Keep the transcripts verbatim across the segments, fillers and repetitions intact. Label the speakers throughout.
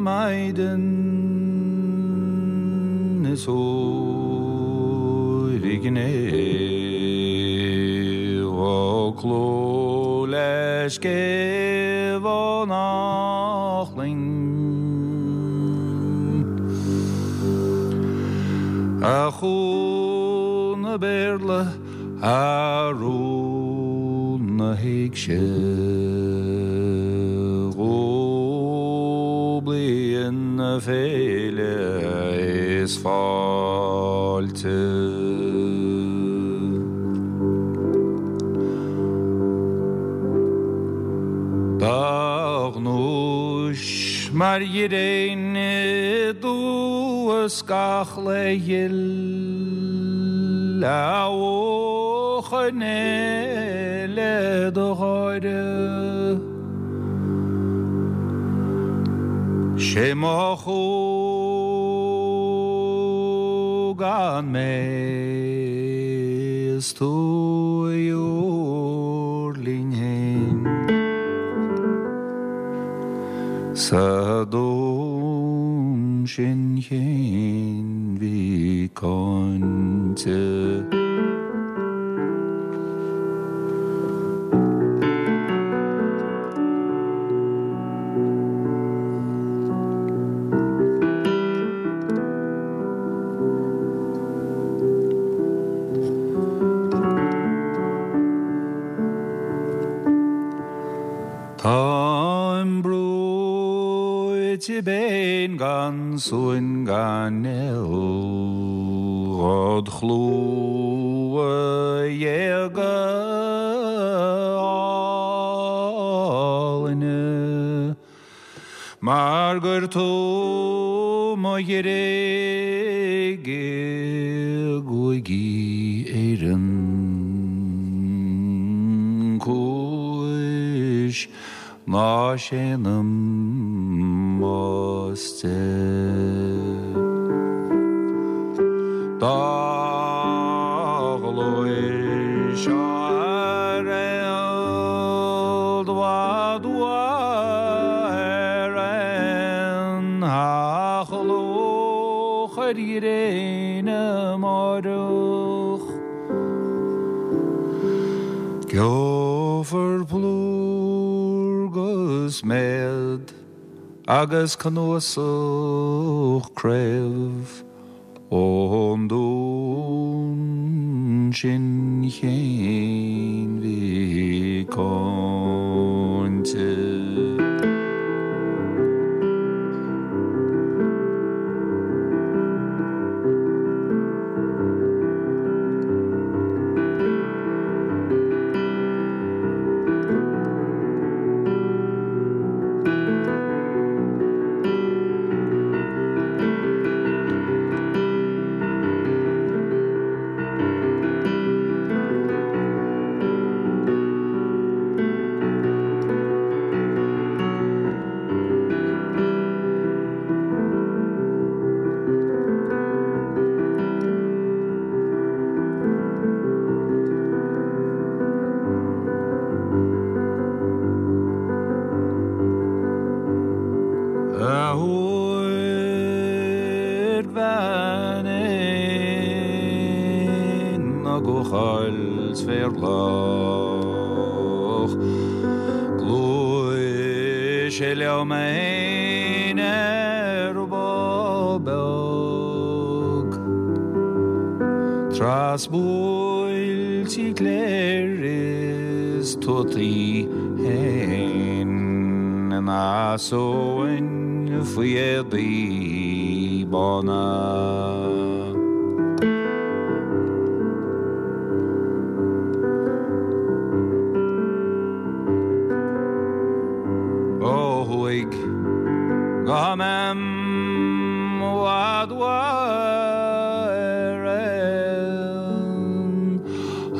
Speaker 1: Maidin is óirigné ó cló leis céh nachling A chú na Béarla a rún na héig sé ó blian na féile is fáilte. Dagnúis mar dhéin dúas gach le dhil a óchané le do cháire. Sé má chú gan mé is tú linn héin. Sa dún sin chéin bhí cáinte. Táim brúite béin gan suin gan eil Rod chlúa dhéaga álainne Mar gur tú mo dhéirigh gúigí Éireann Cúis ná séanam máste. Dá ghlóis ar dwa dwa ar an hachlóch ar iréine máireach. Geofar plúr gus méad agus cnuasach craobh ón dún sin chéin bhí cáinte. Trasbuailtí cléir is tuataí héin na sóin faoi bána. Ó thuaidh go mem bhad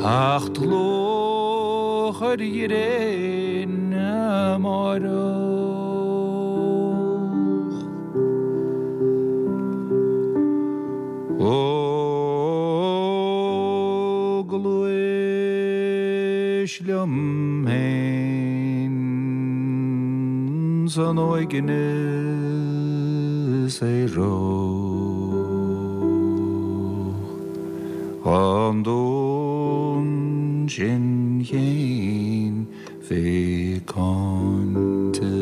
Speaker 1: Acht lóch ar dhéin máireach. Ó gluais liom héin san óigine is aerach An dún sin féin bheith cáinte.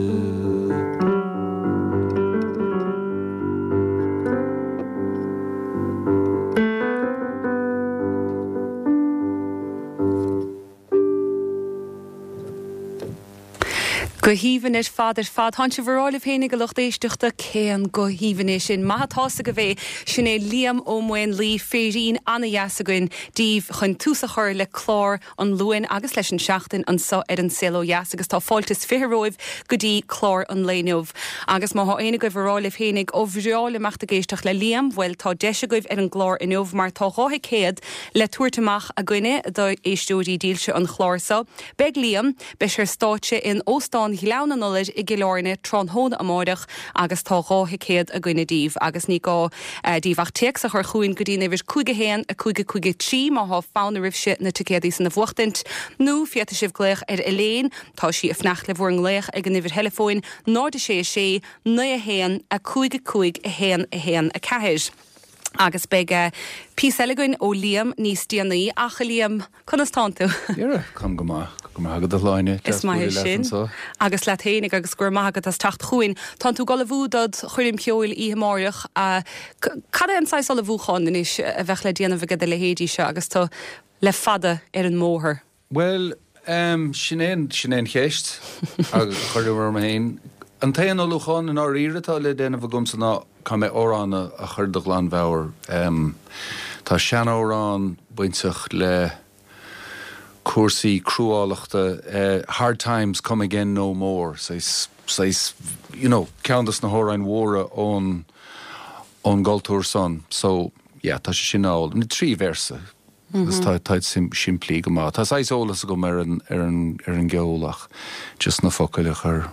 Speaker 2: Go haoibhinn ar fad ar fad. Tánn sibh ag rá libh féinig a lucht éisteachta cén guth aoibhinn é sin. Maith atá agaibh é sin é Liam Ó Maonlaí féirín an-dheas againn daoibh chun tús a chur le clár an Luain agus leis an seachtain anseo ar an Saol Ó Dheas agus tá fáilte is fiche romhaibh go dtí clár an lae inniu. Agus má tá éinne agaibh ag rá libh féinig ó bhreá liom a bheith ag éisteacht le Liam, bhuel tá deis agaibh ar an gclár inniu mar tá dhá thicéad le tabhairt amach againne do éisteoirí dílse an chláir seo. Beidh Liam beidh sé ar stáitse in Óstán Ghleann an Iolair i gCill Airne tráthnóna amárach agus tá dhá thicéad againne daoibh agus ní gá eh, daoibh ach téacs a chur chugainn go dtí uimhir cúig a haon a cúig a cúig a trí má tá fonn oraibhse na ticéadaí san a bhuachtaint nó féadfaidh sibh glaoch ar Elaine tá sí ag fanacht le bhur nglaoch ag an uimhir theileafóin náid sé sé naoi a haon a cúig a cúig a haon a haon a ceathair. Agus beidh uh, píosa eile againn ó Liam níos déanaí ach Liam conas tánn tú.
Speaker 1: Dheara com go maith go maith agat a Shláine
Speaker 2: Is maith sin agus leat féinig agus gur maith agat as teacht chugainn. Tá tú ag ullmhú do choirm cheoil oíche amárach cad é an saghas ullmhúcháin anois a bheith le déanamh aige do leithéidí seo agus tú le fada ar an mbóthar.
Speaker 1: Well um, sin é sin é an cheist agus chuir orm féin. An t-aon ullmhúchán in áirithe atá le déanamh agamsa ná caithfidh mé amhrán a chur de ghlanmheabhair. Um, tá seanamhrán bainteach le cúrsaí cruálachta uh, hard times come again no more saghas saghas you know ceann des na hamhráin mhóra ón ón gcultúr san so yeah tá sé sin á na trí véarsa mm -hmm. tá tá sim simplí go maith tá saghas eolas agam ar an ar an ar an gceol ach just na focail a chur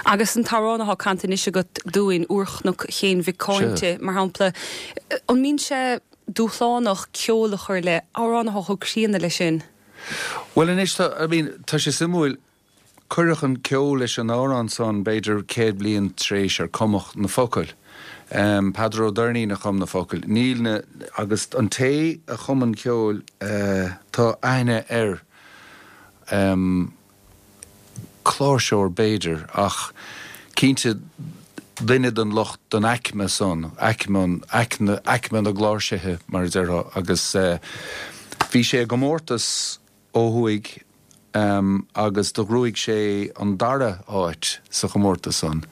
Speaker 2: Agus an t-amhrán atá canta anois agat dúinn Úrchnoc Chéin Mhic Cáinte mar shampla an mbíonn sé dúshlánach ceol a chur le amhrán atá chomh críonna leis sin.
Speaker 1: Well anois tá I mean tá sé suimiúil cuireadh an ceol leis an amhrán san b'fhéidir céad bliain tar éis ar cumadh na focail. Um, Peadar Ó Doirnín a chum na focail. Níl na agus an té a chum an ceol uh, tá aithne air um, cláirseoir b'fhéidir ach cinnte duine den lucht den aicme san aicme aicme aicme na gcláirsithe mar a déarfá agus uh, bhí sé i gcomórtas ó thuaidh um, agus do ghnóthaigh sé an dara háit sa chomórtas san.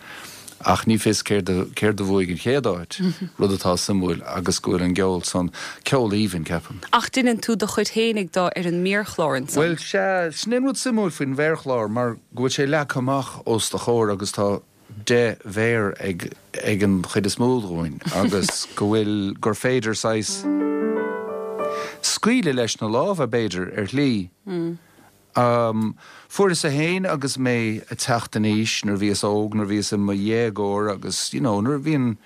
Speaker 1: Ach ní fios céard céard a bhuaigh an chéad áit rud atá suimiúil agus go bhfuil an ceol san ceol aoibhinn ceapaim.
Speaker 2: Ach déanann tú do chuid féinig dó ar an méarchlár ansan.
Speaker 1: Well sé sin rud suimiúil faoin mhéarchlár mar go bhfuil sé leagtha amach os do chomhair agus tá deich mhéar ag ag an chuid is mó dúinn agus go bhfuil gur féidir saghas scaoileadh leis na lámha b'fhéidir ar shlí.
Speaker 2: Mm.
Speaker 1: Um, Fuaireas féin agus mé ag teacht in aois nuair bhíos óg nuair bhíos i mo dhéagóir agus you know, nuair bhíonn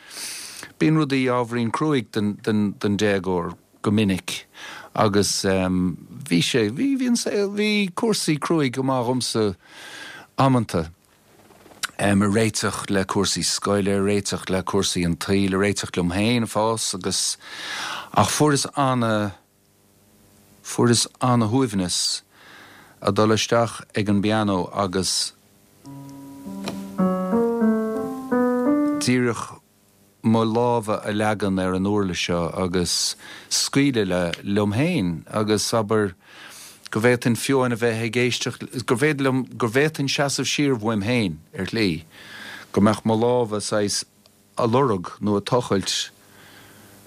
Speaker 1: bíonn rudaí ábhairín cruaidh den, den, den déagóir go minic agus um, bhí sé bhí bhí an bhí cúrsaí cruaidh go maith dhomsa amanta. Um, a réiteach le cúrsaí scoile, réiteach le cúrsaí an tsaoil, réiteach liom féin fós agus ach fuaireas an fuaireas an-shuaimhneas a dul isteach ag an bpianó agus díreach mo lámha a leagan ar an uirlis seo agus scaoileadh le liom féin agus abair go bhféadfainn fiú a bheith ag éisteacht go bhféad liom go bhféadfainn seasamh siar uaim féin ar shlí go mbeadh mo lámha saghas a lorg nó a tochailt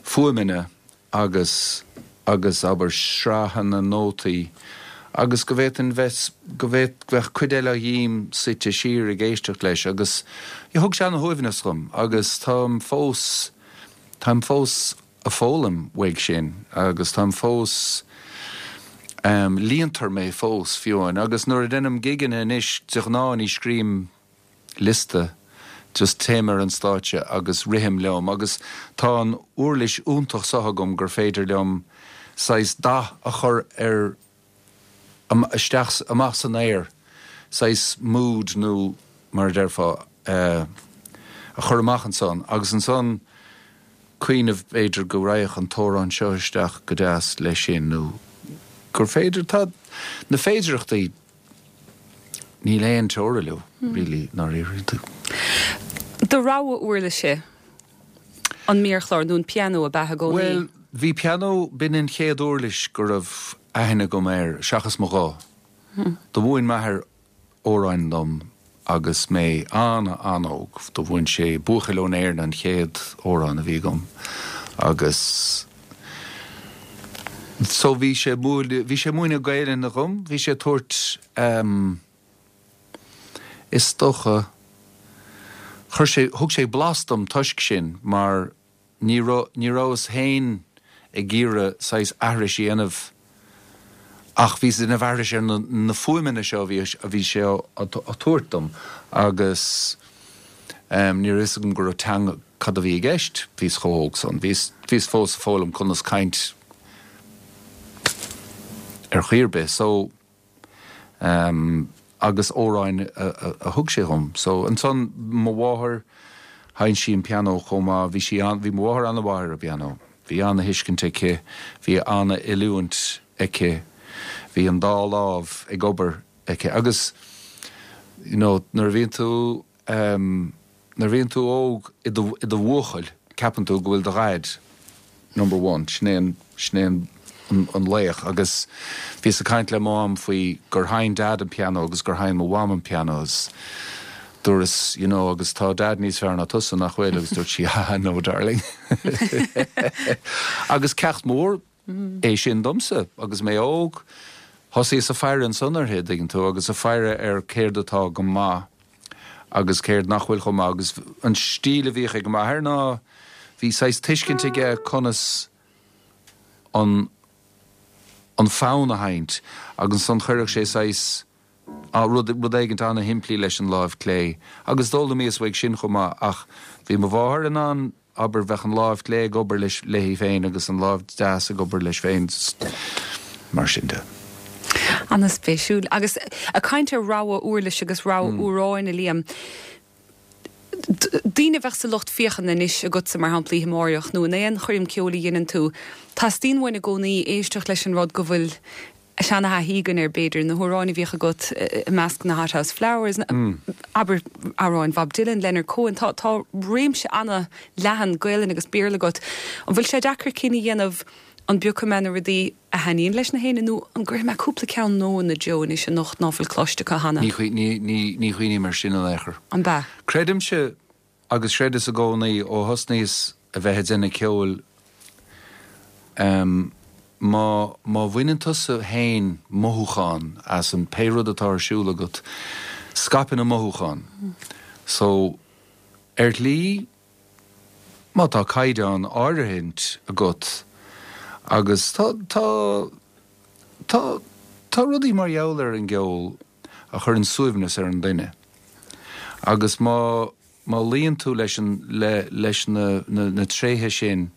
Speaker 1: fuaimeanna agus agus abair sraitheanna nótaí agus go bhféadfainn bheith go bhféad bheadh cuid eile dhíom suite siar ag éisteacht leis agus thug sé an-shuaimhneas dhom agus táim fós táim fós ag foghlaim uaidh sin agus táim fós um, líontar mé fós fiú amháin agus nuair a dhéanaim gigeanna anois de ghnáth ní scríobhaim liosta just téim ar an stáitse agus rithim liom agus tá an uirlis iontach seo agam gur féidir liom saghas dath a chur ar isteach amach san aer saghas mood nó mar a déarfá uh, a chur amach ansan agus ansan cuimhneamh b'fhéidir go raghadh an t-amhrán seo isteach go deas leis sin nó gur féidir tá na féidireachtaí níl aon teora leo really nar tú.
Speaker 2: Do rogha uirlise an méarchlár nó an pianó ab ea i gcónaí?
Speaker 1: Well, bhí pianó b'in an chéad uirlis go raibh aithne agam air seachas mo ghuth. Hmm. Do mhúin m'athair amhráin dom agus mé an-an-óg do mhúin sé Buachaill ón Éirinn an chéad amhrán a bhí agam agus so bhí sé bhí sé múineadh Gaelainne dhom, bhí sé tabhairt um, is dócha chuir sé thug sé blas dom toisc sin mar ní ní rabhas féin ag iarraidh saghas aithris a dhéanamh ach bhí ina aithris ar na, na fuaimeanna seo bhí a bhí sé á tabhairt dom agus um, ní raibh agam go raibh teanga cad a bhí i gceist bhíos chomh hóg san bhíos bhíos fós ag foghlaim conas caint ar chaoi ar bith so um, agus amhráin a, a, a thug sé dhom so ansan mo mháthair sheinn sí an pianó chomh maith bhí sí an bhí mo mháthair an-mhaith ar an bpianó bhí an-thuiscint aici bhí an-oiliúint aici bhí an dá lámh ag obair aici agus you know nuair a bhíonn tú um, nuair a bhíonn tú óg i do bhuachaill ceapann tú go bhfuil do dhaid number one sin é an sin é an an, an laoch agus bhíos ag caint le mam faoi gur sheinn dad an pianó agus gur sheinn mo mham an pianó dúras you know agus tá dad níos fearr ná tusa nach bhfuil agus dúirt sí ah no darling agus ceacht mór é sin domsa agus mé óg thosaíos ag faire ansan uirthi dtuigeann tú agus ag faire ar céard atá go maith agus céard nach bhfuil chomh maith agus an stíl a bhíodh ag m'athair ná bhí saghas tuiscint aige conas an an fonn a sheinnt agus ansan chuirfeadh sé saghas á rud rud éigin an-shimplí leis an lámh clé agus d'fhoghlaimíos uaidh sin chomh maith ach bhí mo mháthair in ann abair bheadh an lámh clé ag obair leis léi féin agus an lámh deas ag obair leis féin mar sin de.
Speaker 2: An-spéisiúil agus ag caint ar rogha uirlis agus rogha mm. amhráin a Liam. Daoine bheith sa lucht féachana anois agatsa mar shampla amárach nó in aon choirm ceoil a dhéanann tú. Teastaíonn uainn i gcónaí éisteacht leis an rud go bhfuil seanathaí againn ar b'fhéidir na hamhráin a bhíodh agat i measc na Hothouse Flowers mm. abair amhráin Bob Dylan Leonard Cohen tá tá réimse an-leathan Gaelainn agus Béarla agat. An bhfuil sé deacair cinneadh a dhéanamh an bpiocfaidh mé na rudaí a thaitníonn leis na héinne nó an gcuirfidh mé cúpla ceann nua ina dtreo anois anocht ná fuil cloiste acu cheana.
Speaker 1: Ní ní chuimhním mar sin in aon chor.
Speaker 2: An bea.
Speaker 1: Creidimse agus chreideas i gcónaí ó thosnaíos a bheith ag déanamh ceoil um, má má bhaineann tusa féin mothúchán as an pé rud atá ar siúl agat scaipeann an mothúchán. So ar shlí má tá caighdeán áirithe agat agus tá tá tá tá rudaí mar gheall ar an gceol a chuireann suaimhneas ar an duine. Agus má má luíonn tú leis an le leis na na, na tréithe sin,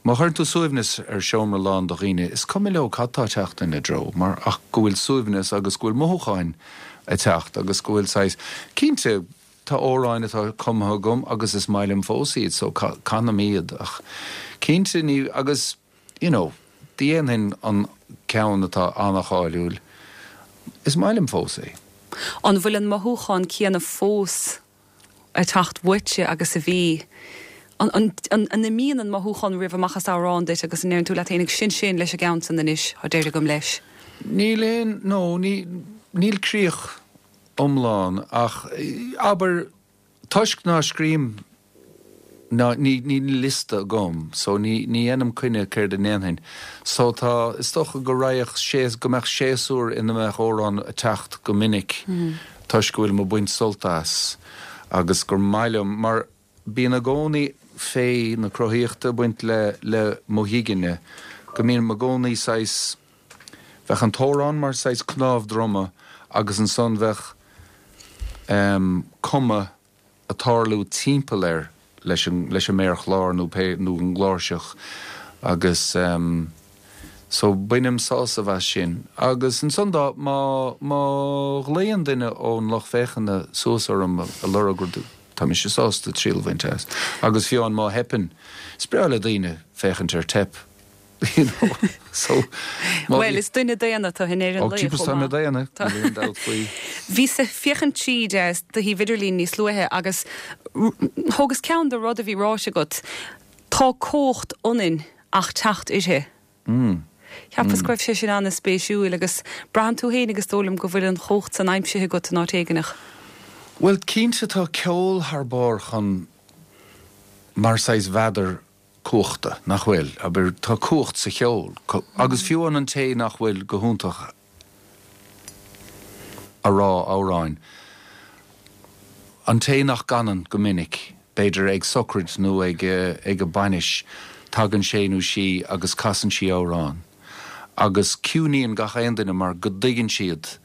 Speaker 1: Má chuireann tú suaimhneas ar seomra lán de dhaoine, is cuma leo cad tá ag teacht ina dtreo, mar ach go bhfuil suaimhneas agus go bhfuil mothúcháin ag teacht agus go bhfuil saghas cinnte tá amhráin atá cumtha agam agus is maith liom fós iad so canaim iad ach cinnte ní agus you know, dhéanfainn an ceann atá an-cháiliúil is maith liom fós é.
Speaker 2: An bhfuil an mothúchán céanna fós ag teacht uaitse agus a bhí an an an an imíonn an mothúchán roimh amach as amhrán duit agus an ndeireann tú leat féin sin sin leis an gceann san anois tá deireadh agam leis.
Speaker 1: Níl aon nó ní níl críoch iomlán ach abair toisc ná scríobhaim ná ní ní liosta agam so ní ní dhéanaim coinne céard a ndéanfainn so tá is dócha go raghadh sé go mbeadh séasúr ina mbeadh amhrán ag teacht go minic mm. toisc go bhfuil mé ag baint sult as agus gur maith liom mar bíonn i gcónaí féith na cruthaíochta ag baint le le mo ghigeanna go mbíonn i gcónaí saghas bheadh an t-amhrán mar saghas cnámh droma agus ansan bheadh um, cuma ag tarlú timpeall air leis an leis an méarchlár nó pé nó an gcláirseach agus um, so bainim sásamh as sin agus ansan dá má má ghlaonn duine ón lucht féachana suas orm ag lorg rud Tá mise sásta triail a bhaint as. Agus fiú amháin má theipeann, is breá le daoine féachaint ar teip. You know? So,
Speaker 2: Well, is duine daonna tú in Éirinn.
Speaker 1: Ó, tá mé daonna, níl aon dabht faoi.
Speaker 2: Bhíos ag féachaint tríd do shuíomh idirlín níos luaithe agus thógas ceann de rud a bhí ráite agat, tá cumhacht ionainn ach teacht uirthi.
Speaker 1: Mm.
Speaker 2: Cheapas go raibh sé sin an-spéisiúil agus braitheann tú féin agus dóigh liom go bhfuil an chumhacht san aimsithe agat in áit éigineach.
Speaker 1: Well, cinnte tá ceol thar barr chun mar saghas mhéadar cumhachta, nach bhfuil, abair tá cumhacht sa cheol, agus fiú an an té nach bhfuil go hiontach a rá amhráin. An té nach gcanann go minic, b'fhéidir ag socraid nó ag ag a bainis, tagann sé nó sí agus casann sí amhrán. Agus ciúnaíonn gach aon duine mar go dtuigeann siad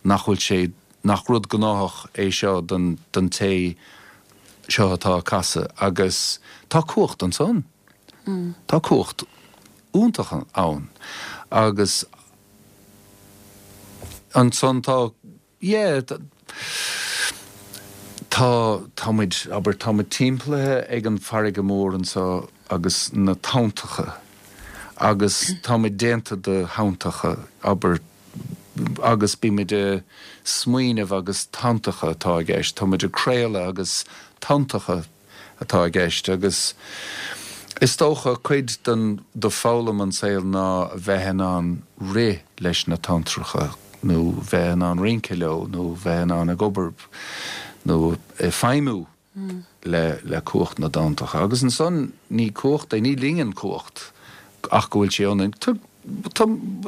Speaker 1: nach bhfuil sé nach rud gnáthach é seo don don té seo atá ag casadh agus tá cumhacht ansan.
Speaker 2: Mm.
Speaker 1: Tá cumhacht iontach ann agus ansan tá yeah, tá tá muid abair tá muid timpeallaithe ag an farraige mór anseo agus na tonntacha agus tá muid déanta de thonntacha abair agus bímid ag smaoineamh agus tonntacha atá i gceist, Tá muid ag craoladh agus tonntacha atá i gceist agus is dócha cuid den de foghlaim an saol ná a bheith in ann rith leis na tonntracha nó bheith in ann rince leo nó bheith in ann ag obair nó ag feidhmiú
Speaker 2: mm.
Speaker 1: le le cumhacht na dtonntacha. Agus ansan ní cumhacht é ní lingean cumhacht ach go bhfuil sé ionainn.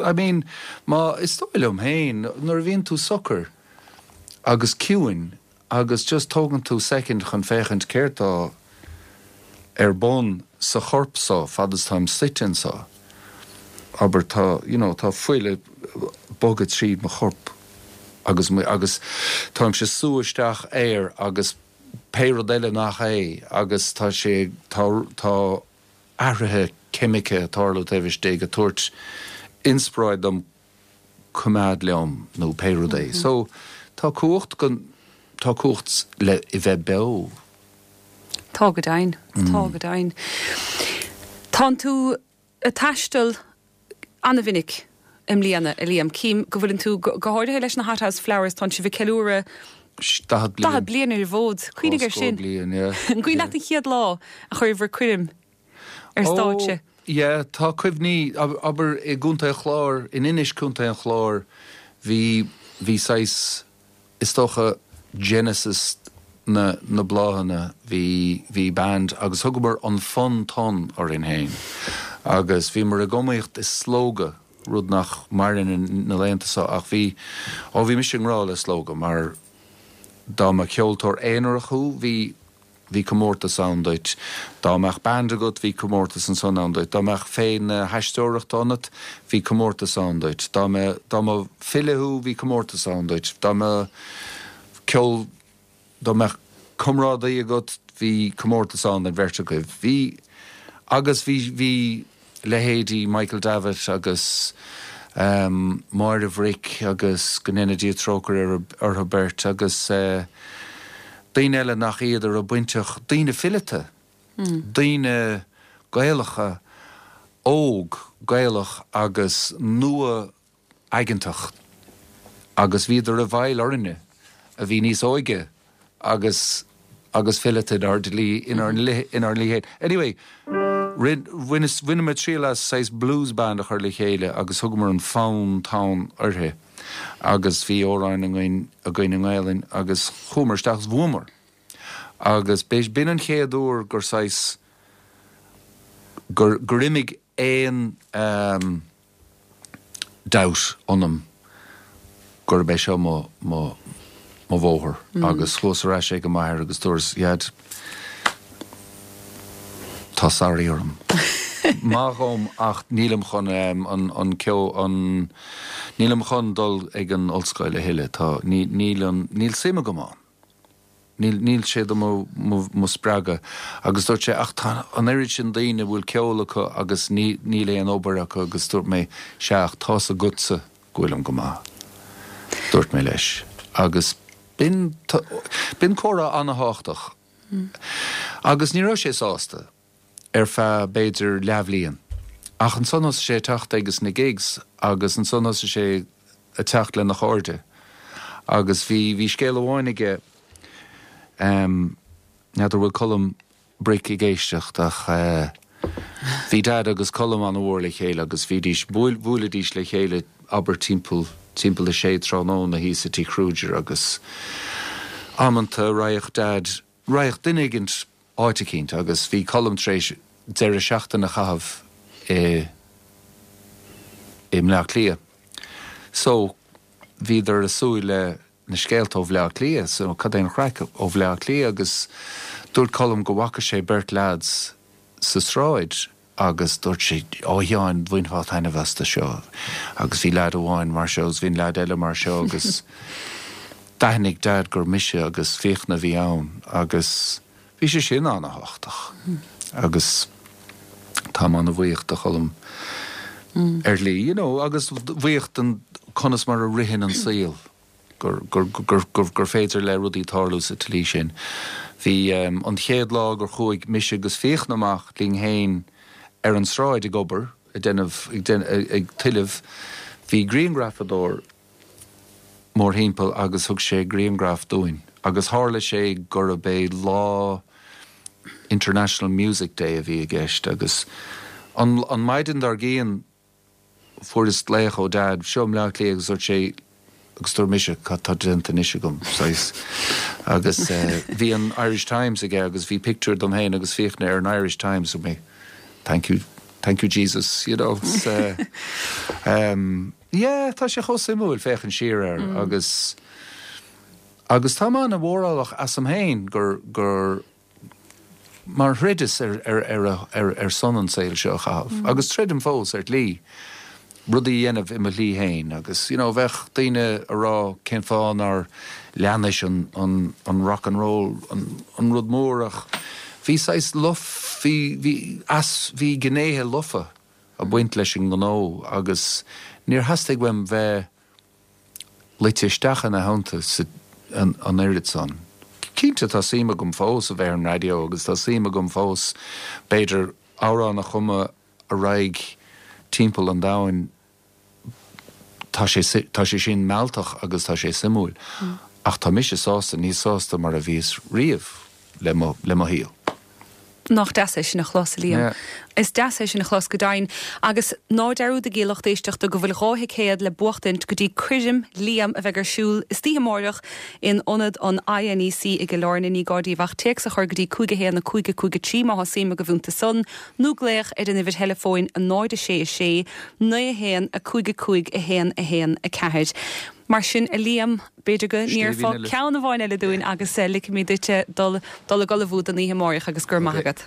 Speaker 1: I mean, má is dóigh liom féin nuair a bhíonn tú socair agus ciúin agus just tógann tú second chun féachaint céard tá ar bun sa chorp so fad is táim suite anseo. Aber tá you know, tá fuil ag bogadh tríd mo chorp agus agus táimse ag sú isteach aer agus pé rud eile nach é agus tá sé tá tá athruithe ceimice ag tarlú taobh istigh ag tabhairt inspioráid dom coimeád liom nó pé rud é. Mm -hmm. So tá cumhacht go tá cumhacht le i bheith beo.
Speaker 2: Tá go deimhin tá mm. go deimhin. Tá tú ag taisteal an-mhinic i mbliana a Liam Cím go bhfuil tú go háirithe leis na Hothouse Flowers tá sibh ag ceiliúradh
Speaker 1: daichead
Speaker 2: bliain ar an bhfód Cuimhnigh ar sin An cuimhin leat an chéad lá a chuireabhair coirm ar stáitse.
Speaker 1: Yeah, tá cuimhní abair i gContae an Chláir in Inis Contae an Chláir bhí bhí saghas is dócha Genesis na na bláthanna bhí bhí band agus thugamar an Fun Ton orainn féin. Agus bhíomar ag iomaíocht i slógadh rud nach maireann na laethanta seo ach bhí ó bhí mise i ngrá le slógadh mar dá mba ceoltóir aonarach thú bhí bhí comórtas ann duit. Dá mbeadh band agat bhí comórtas ansan ann duit. Dá mbeadh féith na haisteoireachta ionat bhí comórtas ann duit. Dá mba dá mba file thú bhí comórtas ann duit. Dá mba ceol dá mbeadh comrádaí agat bhí comórtas ann don bheirt agaibh. Bhí agus bhí bhí leithéidí Michael Davitt agus um, Máire Bhric agus go ndéana Dia trócaire orthu beirt agus uh, daoine eile nach iad a raibh bainteach daoine fileata,
Speaker 2: mm.
Speaker 1: daoine Gaelacha óg Gaelach agus nua aigeantach agus bhíodar i bhfeighil orainne a bhí níos óige agus agus fileata inár dlí inár inár ndlí. Anyway, Bhaineamar triail as saghas blues band a chur le chéile agus thugamar an Fonn Tonn uirthi agus bhí amhráin againn againn i nGaelainn agus chuamar isteach is bhuamar. Agus b'in an chéad uair gur saghas gur gur imigh aon um, doubt ionam gurb é seo mo mo mo bhóthar
Speaker 2: mm.
Speaker 1: agus chuas ar ais ag an m'athair agus dúras Dad tá sorry orm. Maith dhom ach nílim chun um, an an ceo an nílim chun dul ag an ollscoil a thuilleadh tá níl níl suim agam ann. Níl níl sé do mo mo spreagadh agus dúirt sé ach tá an oiread sin daoine bhfuil ceol acu agus ní níl aon obair acu agus dúirt mé sea ach tá's agatsa go bhfuilim go maith. Dúirt mé leis agus b'in b'in comhrá an-tábhachtach Agus ní raibh sé sásta ar feadh b'fhéidir leathbhliain. Ach ansan thosaigh sé ag teacht agus na gigs agus ansan thosaigh sé ag teacht lena chairde. Agus bhí bhí scéal amháin aige um, n'fheadar bhfuil Colm Bric ag éisteacht ach uh, bhí Dad agus Colm an-mhór le chéile agus bhídís bhuailidís le chéile abair timpeall timpeall a sé tráthnóna thíos i Tigh Kruger agus amanta raghadh Dad raghadh duine éigint áit eicínt agus bhí Colm tar éis deireadh seachtaine a chaitheamh i i mBleá Cliath. So bhíodar ag súil le na scéalta ó Bhleá Cliath, so cad é an chraic ó Bhleá Cliath agus dúirt Colm go bhfaca sé beirt lads sa sráid agus dúirt sé ó Sheáin bhainfeá taitneamh astu seo agus bhí leaid amháin mar seo agus bhí an leaid eile mar seo agus d'aithnigh Dad gur mise agus Fiachna a bhí ann agus bhí sé sin an-tábhachtach agus tá an-bhuíoch do Cholm ar shlí, you know, agus buíoch den conas mar a ritheann an saol gur, gur, gur, gur, gur féidir le rudaí tarlú sa tslí sin. Bhí um, an chéad lá gur chuaigh mise agus Fiachna amach linn féin ar an sráid ag obair ag déanamh ag, ag tuilleamh, bhí grianghrafadóir mórthimpeall agus thug sé grianghraf dúinn. Agus tharla sé gurb é lá International Music Day a bhí i gceist agus an, an maidin dár gcionn fuaireas glaoch ó Dad seo i mBleá Cliath agus dúirt sé agus dúirt mise cad tá déanta anois agam saghas agus uh, bhí an Irish Times aige agus bhí pictiúr dom féin agus Fiachna ar an Irish Times mé thank you thank you Jesus you know uh, um, yeah tá sé chomh suimiúil féachaint siar air mm. agus agus tá mé an-mhórálach asam féin gur gur mar throideas ar ar ar ar, ar son an saol seo a chaitheamh mm. agus troidim fós ar shlí rudaí a dhéanamh i mo shlí féin agus you know bheadh daoine ag rá cén fáth nár leanais an an an rock and roll an an rud mór ach bhí saghas lofa bhí bhí as bhí gnéithe lofa ag baint leis an ngnó agus níor theastaigh uaim bheith luite isteach ina theannta an, an oiread san. Cinnte tá suim agam fós a bheith ar an raidió agus tá suim agam fós b'fhéidir amhrán a chumadh a raghaidh timpeall an domhain tá sé tá sé sin mealltach agus tá sé suimiúil. Mm. Ach tá mise sásta níos sásta mar a bhíos riamh le mo le mo shaol.
Speaker 2: Nach deas é sin a chlos Liam. Yeah. Is deas é sin a chlos go deimhin agus ná dearúdaigí lucht éisteachta go bhfuil dhá thicéad le buachtaint go dtí coirm Liam a bheidh ar siúl istoíche amárach in ionad an INEC i gCill Airne ní gá daoibh ach téacs a chur go dtí cúig a haon a cúig a cúig a trí má tá suim agaibh iontu san nó glaoch ar an uimhir theileafóin a náid a sé a sé naoi a haon a cúig a cúig a haon a haon a ceathair. Mar sin a Liam b'fhéidir go n-iarrfá ceann amháin eile dúinn agus ligfimid duit dul dul ag ullmhú don oíche amárach agus go raibh maith agat.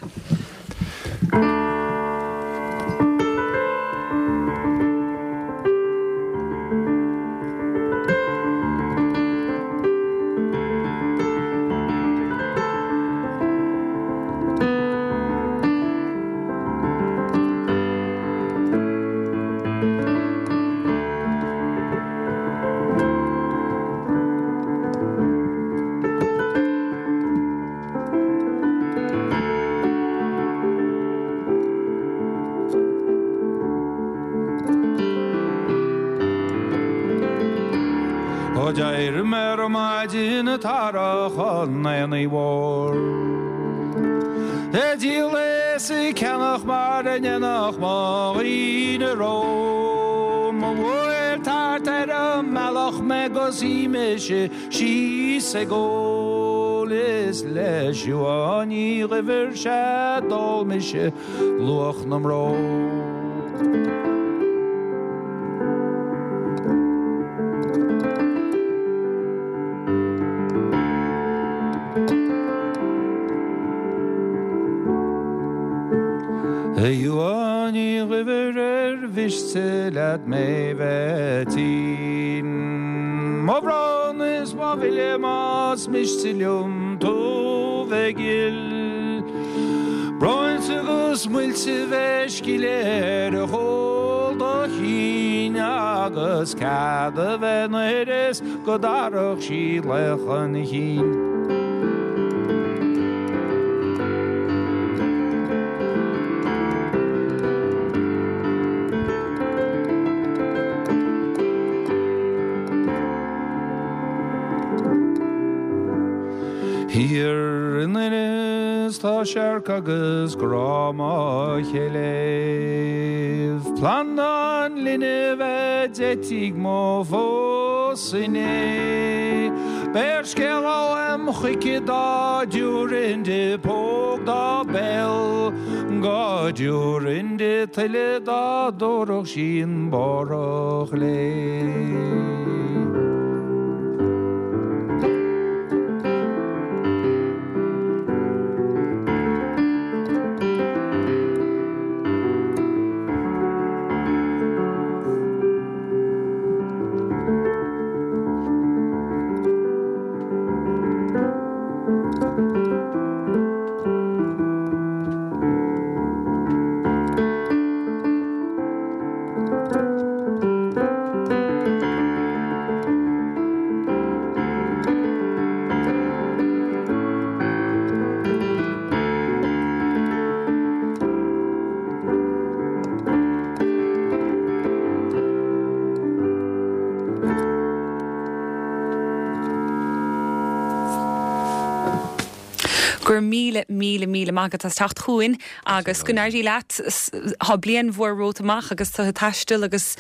Speaker 1: D'éirigh mé ar maidin an t-earrach an aonaigh mhóir. Ag díol is ag ceannach mar a ndéanadh mo dhaoine romham. Bhuail tart ar an mbealach mé 'gus shuigh mise síos ag ól is le Siuán Ní Dhuibhir sea d'ól mise luach na mbrón. A Shiuán Ní Dhuibhir ar mhiste leat mé bheith tinn. Mo bhrón is mo mhilleadh más miste liom tú bheith gil. Breoite agus muilte bheith scileadh ar chúl do chinn agus cead a bheith nuair is go dtabharfadh sí laoch an chinn. Thiar in Inis tá searc agus grá mo chéile. Planda an linbh a d'eitigh mo phósadh inné. Beir scéala uaim chuici dá dtabharfainn di póg dá béal, Go dtabharfainn di tuilleadh dá dtabharfadh sí an bárach léi.
Speaker 2: Go raibh míle míle míle maith agat as teacht chugainn agus go n-éirí leat tá bliain mhór romhat amach agus tú ag taisteal agus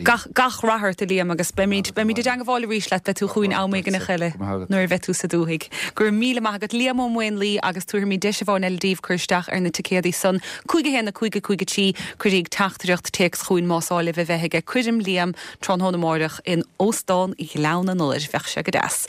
Speaker 2: gach gach rath ort a Liam agus beimid beimid i dteagmháil arís leat beidh tú chugainn am éigin eile nuair a bheidh tú sa dúthaigh. Go raibh míle maith agat Liam Ó Maonlaí agus tabharfaimid deis amháin eile daoibh cur isteach ar na ticéadaí san cúig a haon a cúig a cúig a trí cuiríg teachtaireacht téacs chugainn más áil libh a bheith ag coirm Liam tráthnóna amárach in Óstán Ghleann an Iolair bheadh sé go deas.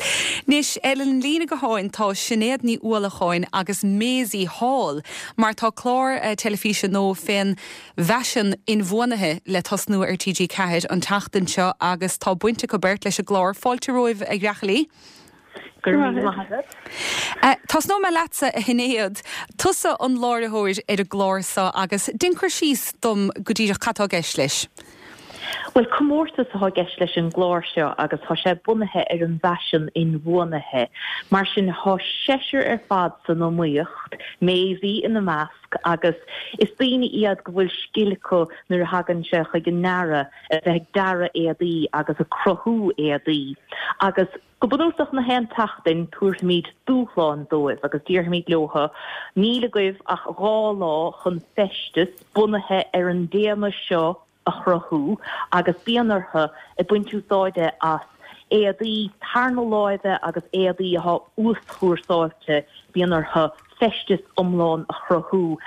Speaker 2: Anois ar an líne gutháin tá Sinéad Ní Uallacháin agus Maisie Hall mar tá clár uh, teilifíse nua fén bhfaisean inbhuanaithe le tosnú ar TG Ceathair an tseachtain seo agus tá baint acu beirt leis an gclár fáilte romhaibh a ghreachailí. Uh, Tosnóidh mé leatsa a Shinéad, tusa an láithreoir ar an gclár seo agus déan cur síos dom go díreach cad atá i gceist leis.
Speaker 3: Well comórtas atá i gceist leis an gclár seo agus tá sé bunaithe ar an bhfaisean inbhuanaithe. Mar sin tá seisear ar fad san iomaíocht, Maisie ina measc agus is daoine iad go bhfuil scil acu nuair a thagann sé chuig an ndearadh a bheith ag dearadh éadaí agus ag cruthú éadaí. Agus go bunúsach na haon tseachtain tabharfaimid dúshlán dóibh agus déarfaimid leo níl agaibh ach dhá lá chun feisteas bunaithe ar an dtéama seo a chruthú agus bíonn orthu ag baint úsáide as éadaí tarna láimhe agus éadaí atá uaschúrsáilte bíonn orthu feisteas iomlán a chruthú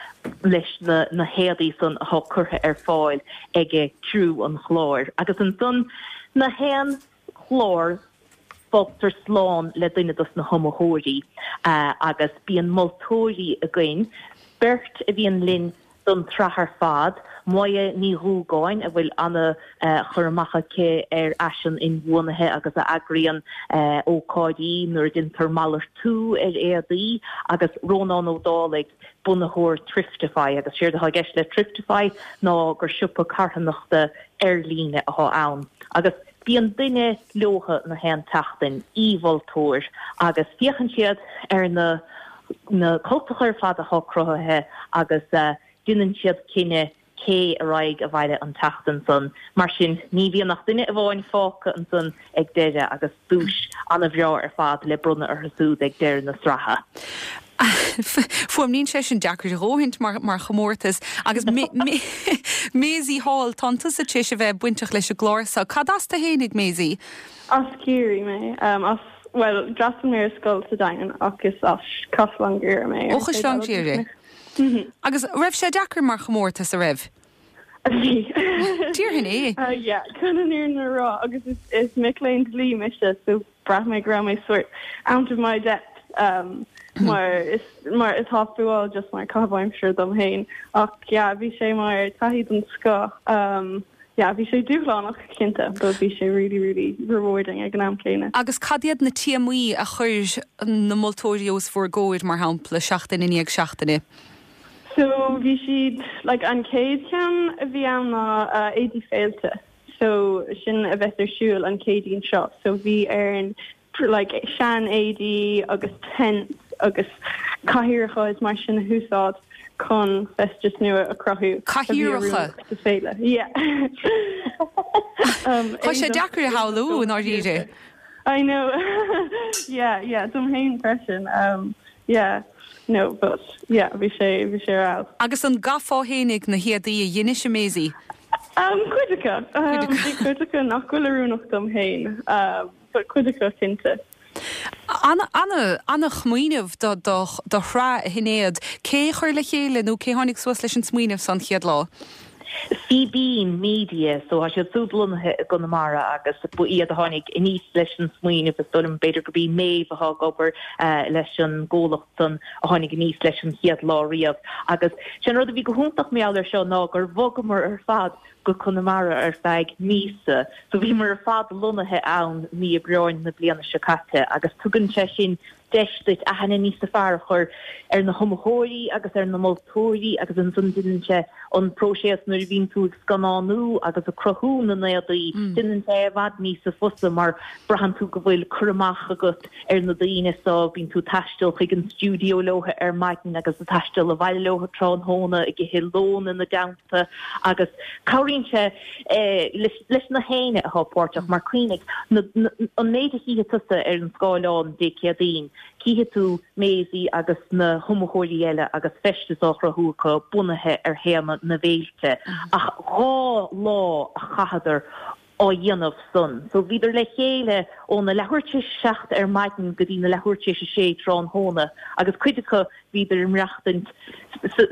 Speaker 3: leis na na héadaí san atá curtha ar fáil ag criú an chláir. Agus ansan na haon chlár fágtar slán le duine dos na hiomaitheoirí uh, agus bíonn moltóirí againn, beirt a bhíonn linn don tsraith ar fad, Moya Ní Dhúgáin a bhfuil ana uh, chur amach aici ar fhaisean inbhuanaithe agus a eagraíonn uh, ócáidí nuair a déantar malartú ar éadaí agus Rónán Ó Dálaigh bunaitheoir Thriftify agus séard atá i gceist le Thriftify ná gur siopa carthanachta ar líne atá ann. Agus bíonn duine leo na haon tseachtain aoi-mholtóir agus féachann siad ar na na cultacha ar fad atá cruthaithe agus uh, déanann siad cinneadh cé a raghaidh abhaile an tseachtain san. Mar sin ní bhíonn ach duine amháin fágtha ansan ag deireadh agus duais an-bhreá ar fad le bronnadh orthu siúd ag deireadh na sraithe.
Speaker 2: Fuaimníonn sé sin deacair a dhóthaint mar mar chomórtas agus Maisie Hall tá tusa tar éis a bheith bainteach leis an gclár seo. Cad as tú fhéinig Maisie?
Speaker 4: As Ciarraí mé um, as well d'fhreastail mé ar scoil sa Daingean agus as Caisleán Ghriaire mé.
Speaker 2: Ó Chaisleán Ghriaire. Agus raibh sé deacair mar chomórtas a raibh?
Speaker 4: Bhí.
Speaker 2: Déarfainn é.
Speaker 4: Uh, yeah, chun an fhírinne a rá agus is, is mic léinn dlí mise so bhraith mé go raibh mé sort out of my depth um, mar is mar atá fuáil just mar caitheamh aimsire dom féin ach yeah, bhí sé mar taithí den scoth um, yeah, bhí sé dúshlánach cinnte, but bhí sé really really rewarding ag an am céanna.
Speaker 2: Agus cad iad na téamaí a chuir na moltóirí os bhur gcomhair mar shampla seachtain i ndiaidh seachtaine?
Speaker 4: So bhí siad like an chéad cheann a bhí ann ná uh, éadaí féilte. So sin a bheas ar siúl an Chéadaoin seo. So bhí ar like sean éadaí agus tents agus cathaoireacha is mar sin a úsáid chun feisteas nua a chruthú.
Speaker 2: Cathaoireacha?
Speaker 4: Sa féile. Yeah. um,
Speaker 2: Tá sé deacair a shamhlú i ndáiríre.
Speaker 4: I know yeah yeah dom féin freisin um yeah no but yeah bhí sé bhí sé ra
Speaker 2: Agus an gcaithfeá fhéinig na héadaí a dhein sibh Maisie?
Speaker 4: Um cuid acu um, bhí cuid acu nach bhfuil oiriúnach dom féin um but cuid acu cinnte.
Speaker 2: Ana ana ana-smaoineamh do do do shraith a Shinéad cé chuir le chéile nó cé tháinig suas leis an smaoineamh san chéad lá.
Speaker 3: Fíbín Media so tá siad súd lonnaithe i gConamara agus ba iad a tháinig aníos leis an smaoineamh is dóigh liom b'fhéidir gurb í Maeve atá ag obair uh, leis an gcomhlacht san a tháinig aníos leis an chéad lá riamh agus sin rud a bhí go hiontach mar gheall air seo ná gur bhogamar ar fad go Conamara ar feadh míosa so bhíomar ar fad lonnaithe ann mí Aibreáin na bliana seo caite agus tugann sé sin deis duit aithne níos fearr a chur ar na hiomaitheoirí agus ar na moltóirí agus ansan déanann sé an próiseas nuair a bhíonn tú ag scannánú agus ag cruthú na n-éadaí déanann sé i bhfad níos fusa mar braitheann tú go bhfuil cur amach agat ar na daoine so bíonn tú ag taisteal chuig an stiúideo leo ar maidin agus ag taisteal abhaile leo tráthnóna ag ithe lón ina dteannta agus cabhraíonn sé eh, leis, leis na héinne atá páirteach mar cuimhnigh an méid a chífidh tusa ar an scáileán Dé Céadaoin Cífidh tú Maisie agus na hiomaitheoirí eile agus feisteas á chruthú acu bunaithe ar théama na bhféilte ach dhá lá a chaitheadar á dhéanamh san. So bhíodar le chéile óna leathuair tar éis a seacht ar maidin go dtí na leathuair tar éis a sé tráthnóna agus cuid acu bhíodar ag maireachtaint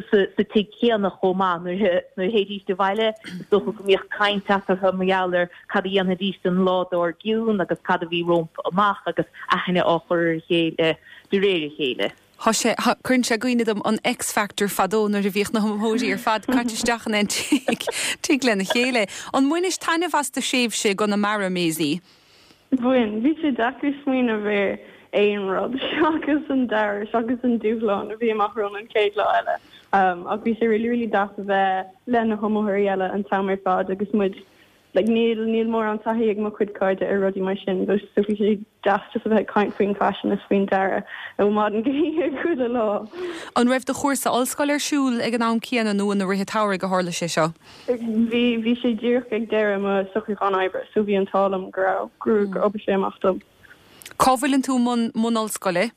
Speaker 3: sa tigh céanna chomh maith nuair a théidís abhaile is dócha go mbíodh caint eatarthu mar gheall ar cad a dhéanfaidís an lá dár gcionn agus cad a bhí rompu amach agus aithne á chur ar a chéile de réir a chéile.
Speaker 2: Tá sé cuireann sé i gcuimhne dom an X Factor fadó nuair a bhíodh na hiomaitheoirí ar fad caite isteach in aon tigh tigh lena chéile. An mbainis taitneamh as do thréimhse i gConamara Maisie?
Speaker 4: Bhain, bhí sé deacair smaoineamh ar aon rud seachas an dearadh seachas an dúshlán a bhí amach romhainn an chéad lá eile. Um, ach bhí sé really really deas a bheith le na hiomaitheoirí eile an t-am ar fad agus muid like níl níl mórán taithí ag mo chuid cairde ar rudaí mar sin so so bhí sé deas just a bheith ag caint faoin fashion is faoin dearadh ó maidin go hoíche chuile lá.
Speaker 2: An raibh do chúrsa ollscoile ar siúl ag an am céanna nó ina rith an tsamhraidh a tharla sé seo?
Speaker 4: Bhí bhí sé díreach ag deireadh mo socrúchán oibre so bhí an t-ádh liom go raibh gur gur oibrigh sé amach dom.
Speaker 2: Cá bhfuileann tú i mbun mbun ollscoile?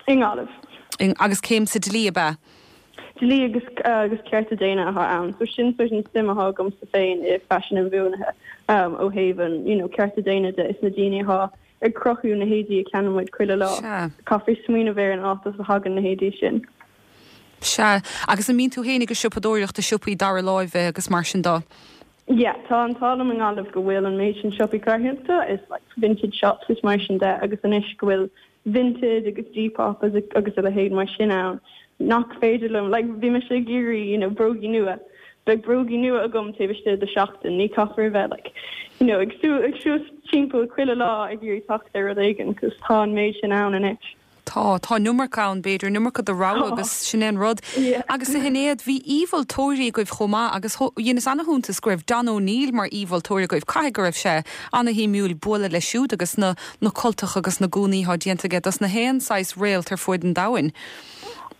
Speaker 4: I nGaillimh.
Speaker 2: In, agus céim sa dlí ab ea?
Speaker 4: Dlí agus uh, agus cearta daonna atá ann, so sin sort an suim atá agamsa féin i faisean inbhuanaithe um, ó thaobh an you know, cearta daonna de is na daoine atá ag cruthú na héadaí a cheannaíonn muid chuile lá.
Speaker 2: Sea.
Speaker 4: Caithfear smaoineamh ar an áit as a thagann na héadaí sin.
Speaker 2: Sea, agus an mbíonn tú féin ag siopadóireacht i siopaí dara láimhe agus mar sin de.
Speaker 4: Yeah, tá an t-ádh liom i nGaillimh go bhfuil an méid sin siopaí carthanachta is like vintage shops is mar sin de agus anois go bhfuil Vinted agus Depop agus agus a leithéid mar sin ann. Nach féidir liom like bhí mise ag iarraidh you know, brógaí nua. Beidh brógaí nua agam taobh istigh de seachtain, ní caithfear bheith like you know, ag sú ag siúl timpeall chuile lá ag iarraidh teacht ar rud éigin, cos tá an méid sin ann anois.
Speaker 2: Tá tá an iomarca ann b'fhéidir an iomarca de rogha agus sin é an rud.
Speaker 4: Yeah.
Speaker 2: Agus a Shinéad bhí aoimholtóirí agaibh chomh maith agus dheineas an-iontas go raibh Don O'Neill mar aoimholtóir agaibh caithfidh go raibh sé an-shuimiúil bualadh leis siúd agus na na cultacha agus na gúnaí atá déanta aige dos na haon saghas réalt ar fud an domhain.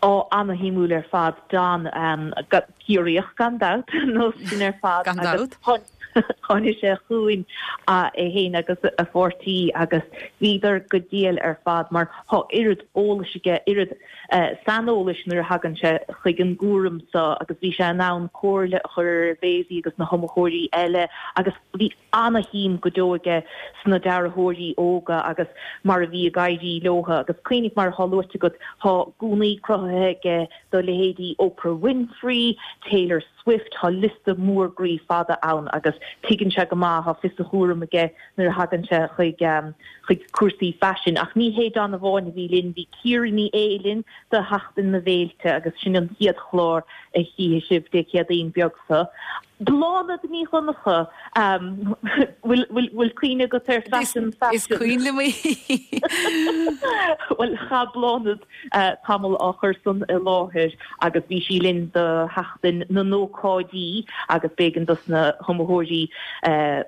Speaker 3: Ó an-shuimiúil ar fad Don um, Ciarraíoch gan dabht nó sin ar fad
Speaker 2: Gan dabht.
Speaker 3: Tháinig sé chugainn é féin agus a pháirtí agus bhíodar go diail ar fad mar tá oiread eolais aige oiread uh, saineolais nuair a thagann sé chuig an gcúram so agus bhí sé in ann comhairle a chur ar Mhaisie agus na hiomaitheoirí eile agus bhí an-shuim go deo aige sna dearthóirí óga agus mar a bhí ag éirí leo agus cuimhnigh mar atá luaite agat tá gúnaí cruthaithe aige do leithéidí Oprah Winfrey, Taylor Swift tá liosta mór groí fada ann agus tuigeann sé go maith tá fios a chúraim aige nuair a thagann sé chuig um, chuig cúrsaí faisin ach ní hé Don amháin a bhí linn bhí Ciara Ní É linn do Sheachtain na bhFéilte agus sin an chéad chlár a chífidh sibh Dé Céadaoin beag seo. Bláthnaid Ní Dhonncha um, bhfuil bhfuil cuimhne agat ar fashion
Speaker 2: Is cuimhin liom í.
Speaker 3: Well chaith Bláthnaid uh, tamall á chur san i láthair agus bhí sí linn do Sheachtain na n-ócáidí agus b'éigean dos na hiomaitheoirí uh,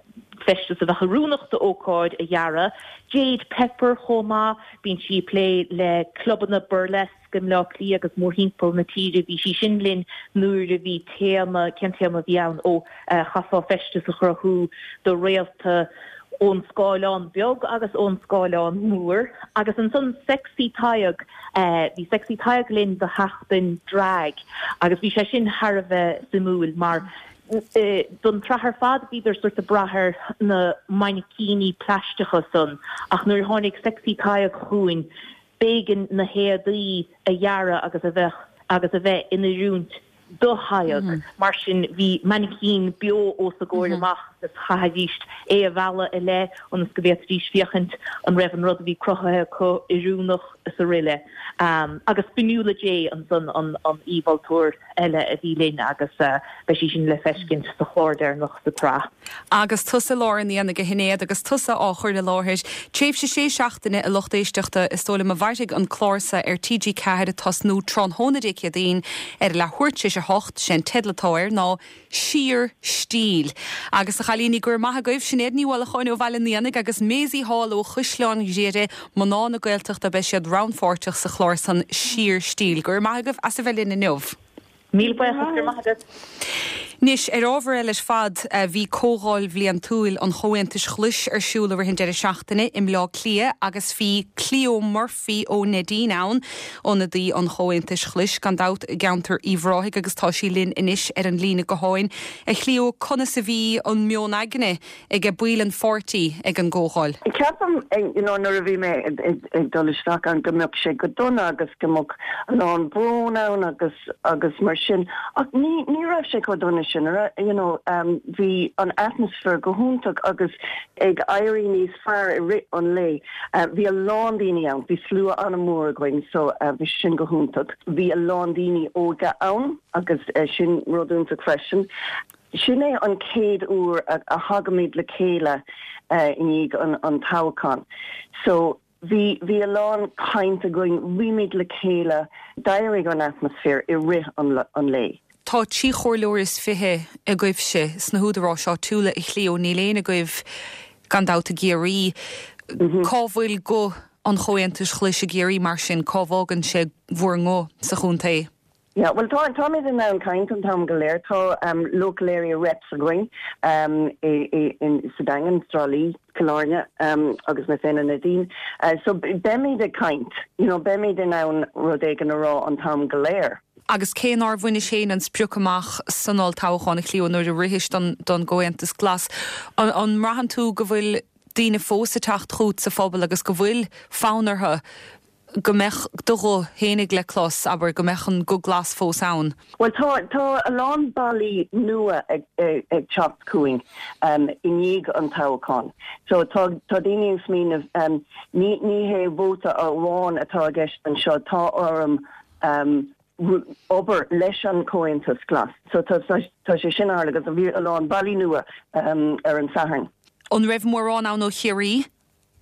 Speaker 3: feisteas a bheith oiriúnach d'ócáid a dhearadh. Jade Pepper chomh maith bíonn sí ag plé le clubanna burlesque i mBleá Cliath agus mórthimpeall na tíre bhí sí sin linn nuair a bhí téama cén téama bhí ann ó uh, chaithfeá feisteas a chruthú do réalta ón scáileán beag agus ón scáileán mór agus ansan Sexy Tadhg eh, bhí Sexy Tadhg linn do sheachtain drag agus bhí sé sin thar a bheith suimiúil mar eh, don tsraith ar fad bhíodar sort of brath ar na mainicíní plaisteacha san ach nuair a tháinig Sexy Tadhg chugainn b'éigean na héadaí a dhearadh agus a bheith agus a bheith in oiriúint do Thadhg mm -hmm. mar sin bhí mainicín beo os a gcomhair mm -hmm. amach agus chaithfidís é a mhealladh i leith ionas go bhféadfaidís féachaint an raibh an rud a bhí cruthaithe acu oiriúnach is araile. Um, agus Fionnuala J ansan an an aoimholtóir eile a bhí linn agus uh, beidh sí sin le feiscint sa chlár deireanach sa tsraith.
Speaker 2: Agus tusa i lár an aonaigh a Shinéad agus tusa á chur i láthair, Tréimhse sé seachtaine a lucht éisteachta is dóigh liom a mhairfidh an clár seo ar TG Ceathair ag tosnú tráthnóna Dé Céadaoin ar leathuair tar éis a hocht sé an teideal atá air ná Siar Stíl. Agus a chailíní go raibh maith agaibh Sinéad Ní Uallacháin ó Bhaile an Éanaigh agus Maisie Hall ó Chaisleán Ghriaire mná na Gaeltachta beidh siad rannpháirteach sa chlár san Siar Stíl. Go raibh maith agaibh as a bheith linn inniu.
Speaker 3: Míle buíochas go raibh maith agat.
Speaker 2: Anois ar ábhar eile ar fad bhí comhdháil bhliantúil an Chomhaontais Ghlais ar siúl i rith an deireadh seachtaine i mBleá Cliath agus bhí Cleo Murphy ó Neidín ann ionadaí an Chomhaontais Ghlais gan dabht i gceantar Uíbh Ráthaigh agus tá sí linn anois ar an líne gutháin. A Chleo conas a bhí an meon aigne ag baill an pháirtí ag an gcomhdháil.
Speaker 5: Ceapaim you know, nuair a bhí mé ag dul isteach an go mbeadh sé go dona agus go mbeadh a lán brón ann agus agus mar sin ach ní ní raibh sé chomh dona sin you know um, bhí an atmaisféar go hiontach agus ag éirí níos fearr i rith an lae. Uh, bhí a lán daoine ann, bhí slua an-mhór againn so uh, bhí sin go hiontach. Bhí a lán daoine óga ann agus uh, sin rud iontach freisin. Sin é an chéad uair a, a thagaimid le chéile uh, i ndiaidh an, an toghchán. So bhí bhí a lán caint againn bhí muid le chéile d'éirigh an atmaisféar i rith an, an lae.
Speaker 2: Tá trí chomhairleoir is fiche agaibhse sna húdaráis áitiúla a Chleo níl aon agaibh gan dabht i gCiarraí. Mm -hmm. Cá bhfuil guth an Chomhaontais Ghlais i gCiarraí mar sin cá bhfágann sé bhur nguth sa chontae.
Speaker 5: Ja, well tá táimid in ann caint an t-am go léir tá um, local area reps againn um, i, i, in sa Daingean Trá Lí Cill Airne um, agus mé féin Neidín. Uh, so beimid ag caint, you know, beimid in ann rud éigin a rá an t-am go léir.
Speaker 2: Agus cé nár bhainis féin an sprioc amach san olltoghchán a Chleo nuair a rithis don don gComhaontas Glas. An, an mbraitheann tú go bhfuil daoine fós ag teacht chugat sa phobal agus go bhfuil fonn orthu go mbeadh do ghuth fhéinig le clos abair go mbeadh an guth glas fós ann.
Speaker 5: Well tá tá a lán baill nua ag, ag, ag teacht chugainn um, i ndiaidh an toghchán. So tá tá daoine ag smaoineamh um, ní ní hé vóta amháin atá i gceist anseo tá orm um, obair leis an Comhaontas Glas. So tá tá sé sin agus a bhí a lán baill nua um, ar an Satharn.
Speaker 2: An raibh mórán ann ó Chiarraí?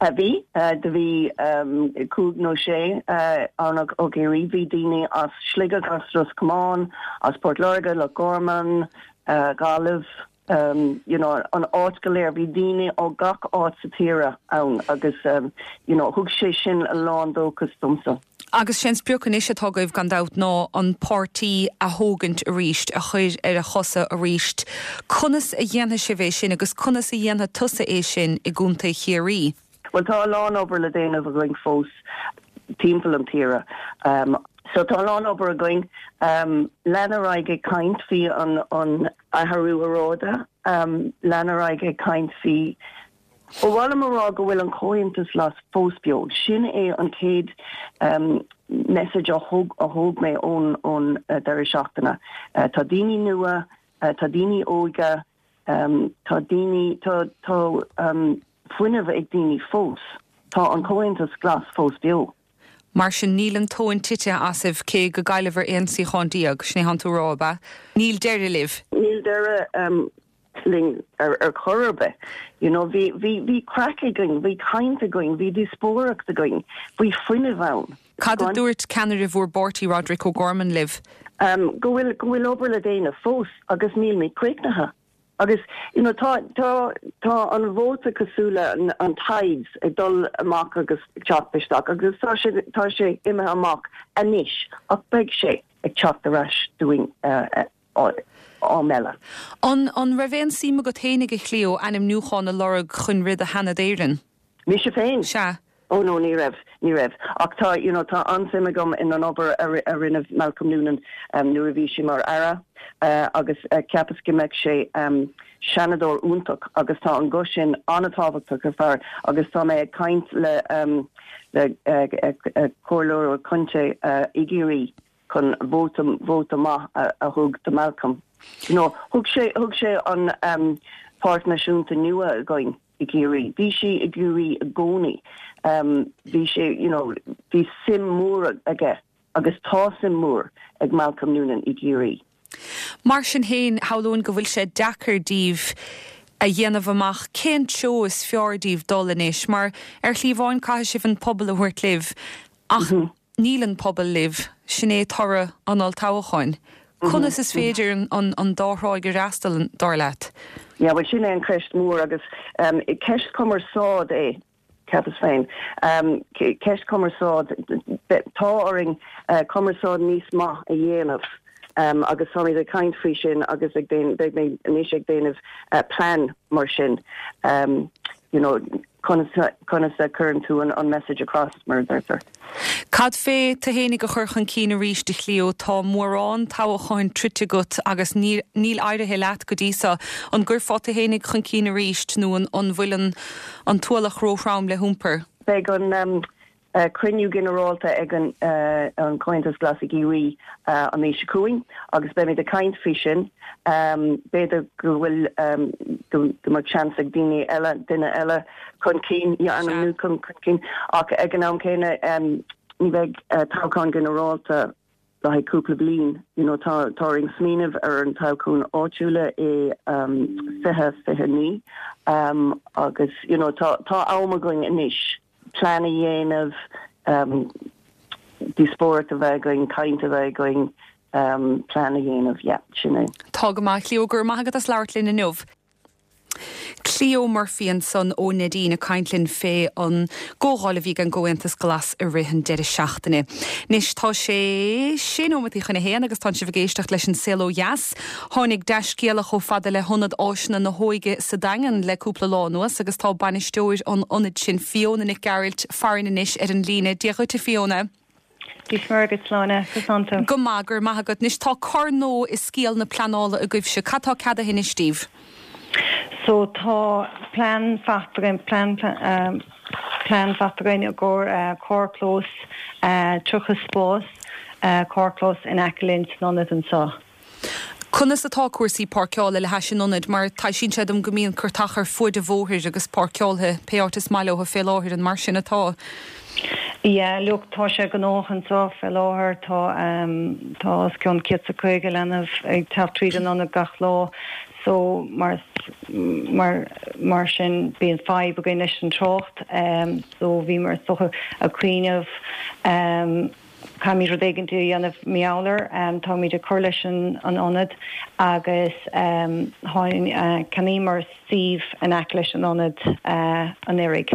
Speaker 5: A bhí do bhí um, cúig nó sé uh, ann ó Chiarraí bhí daoine as Sligeach as Ros Comáin, as Port Láirge Loch Garman, uh, Gaillimh, um, you know, an áit go léir bhí daoine ó gach áit sa tír ann agus um, you know, thug sé sin a lán dóchas domsa.
Speaker 2: Agus sin sprioc anois atá agaibh gan dabht ná an páirtí a thógaint arís a chur ar a chosa arís. Conas a dhéanfaidh sibh é sin agus conas a dhéanfaidh tusa é sin i gContae Chiarraí.
Speaker 5: Well tá a lán obair le déanamh againn fós timpeall an tíre. Um, so tá a lán obair againn um, lean ar aghaidh ag caint faoi an an athrú aeráide, um, lean ar aghaidh ag caint faoi Ba mhaith liom a rá go bhfuil an Comhaontas Glas fós beo. Sin é an chéad um, message a thóg a thóg mé ón ón uh, deireadh seachtaine. Uh, tá daoine nua, uh, tá daoine óga, um, tá daoine tá tá um, fuinneamh ag daoine fós. Tá an Comhaontas Glas fós beo.
Speaker 2: Mar sin níl an tóin tite asaibh cé go gcaillfear aon suíochán déag sin é atá tú a rá. Níl deireadh libh.
Speaker 5: Níl deireadh um, linn ar ar chor ar bith. You know, bhí bhí bhí craic againn, bhí caint againn, bhí díospóireacht againn, bhí fuinneamh ann.
Speaker 2: Cad a dúirt ceannaire bhur bpáirtí Roderick O'Gorman libh?
Speaker 5: Um, go bhfuil go bhfuil obair le déanamh fós agus níl mé críochnaithe. Agus you know, tá tá tá an vóta cosúil le an, an tides ag dul amach agus teacht isteach agus tá sé tá sé imithe amach anois ach beidh sé ag teacht ar ais dúinn uh, uh, am eile.
Speaker 2: An an raibh aon suim agat fhéinig, a Chleo, ainmniúchán a lorg chun rith do Sheanad Éireann?
Speaker 5: Mise féin?
Speaker 2: Sea.
Speaker 5: Oh no, ní raibh, ní raibh. Ach tá, you know, tá an-suim agam in an obair a, a rinne Malcolm Noonan um, nuair a bhí sé mar aire uh, agus uh, ceapas go mbeadh sé um, seanadóir iontach agus tá an guth sin an-tábhachtach ar fear agus tá mé ag caint le um, le uh, uh, uh, comhairleoir contae uh, i gCiarraí chun vóta vóta maith a, a thug do Malcolm. You know, thug sé thug sé an um, Páirc Náisiúnta nua againn i gCiarraí. Bhí sé i gCiarraí i gcónaí. Um, bhí sé you know, bhí suim mór aige agus tá suim mór ag Malcolm Noonan i gCiarraí.
Speaker 2: Mar sin féin, shamhlóinn go bhfuil sé deacair daoibh a dhéanamh amach cén treo is fearr daoibh dul anois, mar ar shlí amháin caithfidh sibh an pobal a thabhairt libh ach mm -hmm. níl an pobal libh sin é toradh an olltoghcháin. Conas is féidir an, an, an dá thrá a fhreastal dar leat?
Speaker 5: Ja, well sin é an cheist mór agus um, ceist cumarsáid é ceapas féin. Um, ceist cumarsáid tá orainn uh, cumarsáid níos maith a dhéanamh. Um, agus tá ag caint faoi sin agus ag beidh mé anois ag déanamh uh, plean mar sin. Um, you know, conas a chuireann tú an, an message across mar deirtear.
Speaker 2: Cad fé tú fhéinig a chur chun cinn arís, a Chleo tá mórán toghcháin troidte agat agus níl éirithe leat go dtí seo an gcuirfeá tú fhéinig chun cinn arís nó an an bhfuil an an t-ualach róthrom le hiompar.
Speaker 5: Beidh an um, uh, cruinniú ginearálta ag an, uh, an Comhaontas Glas i gCiarraí uh, an mhí seo chugainn agus beimid ag caint faoi sin um, b'fhéidir go bhfuil um, go, go mbeadh seans ag daoine eile duine eile chun cinn ainmniú chun cinn ach ag an am céanna um, ní bheidh uh, toghchán ginearálta le haghaidh cúpla bliain you know, tá tá ag smaoineamh ar an toghchán áitiúla i um, fiche fiche naoi um, agus you know, tá tá am againn anois plean a dhéanamh um, díospóireacht a bheith againn caint a bheith againn um, plean a dhéanamh yeah, sin é.
Speaker 2: Tá go maith Cleo gur maith agat as labhairt linn inniu. Cleo Murphy ansan ó Neidín ag caint linn fé an gcomhdháil a bhí an gComhaontas Glas i rith an deireadh seachtaine. Anois tá sé sé nóiméad chun a haon agus tá sibh ag éisteacht leis an Saol Ó Dheas. Tháinig dea-scéala chomh fada le hIonad Áiseanna na hÓige sa Daingean le cúpla lá anuas agus tá bainisteoir an ionaid sin Fiona Nic Gearailt farainn anois ar an líne Dia dhuit Fiona.
Speaker 6: Dia is Muire dhuit Sláine go
Speaker 2: Go maith gur maith agat anois tá cor nua i scéal na pleanála agaibhse cad tá ceadaithe anois daoibh.
Speaker 6: So tá plean faighte againn plean um, plean faighte againn i gcomhair uh, carrchlós uh, tríocha spás uh, carrchlós in aice linn san ionad anseo.
Speaker 2: Conas atá cúrsaí páirceála le hais an ionaid mar taisíonn sé dom go mbíonn cuairteach ar fud an bhóthair agus páirceáilte pé áit is maith leo fé láthair an mar sin atá.
Speaker 6: Ja, look tá sé gnóthach anseo fé láthair tá um, tá os cionn céad is caoga leanbh ag teacht tríd an ionad gach lá so mar mar mar sin bíonn fadhb againn leis an trácht um, so bhí mar socha a cuioineh um, Caithfimid rud éigin a dhéanamh meallar um, táimid ag cur leis an an ionad agus um, uh, cheannaíomar suíomh in aice leis an ionad uh, anuraidh.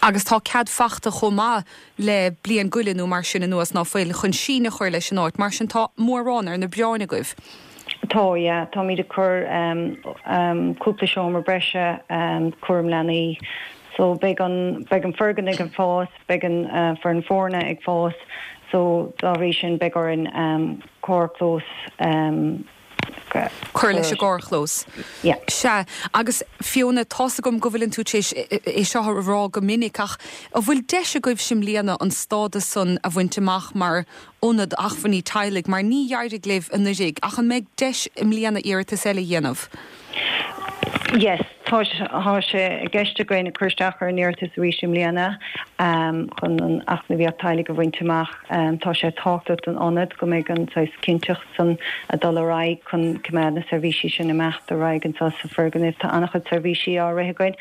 Speaker 2: Agus tá cead faighte chomh maith le bliain go leith nó mar sin anuas ná fuil chun síneadh a chur leis an áit, mar sin tá mórán ar na bioráin agaibh.
Speaker 6: Tá ja, táimid ag cur um, um, cúpla seomra breise um, cúram leanaí. So beidh an beidh an foirgneamh ag fás, beidh an uh, foireann foirne ag fás, so dá bhrí sin beidh orainn um, carrchlós um,
Speaker 2: Cur leis an gcarrchlós.
Speaker 6: Sea
Speaker 2: agus Fiona tá a fhios agam go bhfuil tú théis é seo a rá go minic ach an bhfuil deis agaibh i mbliana an stádas san a bhaint amach mar ionad acmhainní teaghlaigh mar ní d'éirigh libh anuraidh ach an mbeidh deis i mbliana iarratas eile a dhéanamh.
Speaker 6: Yes, tá sé i gceist againn cur isteach ar an iarratas arís i mbliana um, chun an eacnamaíocht teaghlaigh a bhaint amach um, tá sé tábhachtach don ionad go mbeidh an saghas cinnteacht san a dul ar aghaidh chun coimeád na seirbhísí sin imeacht ar aghaidh anseo sa fhoirgneamh tá an-chuid seirbhísí á rith againn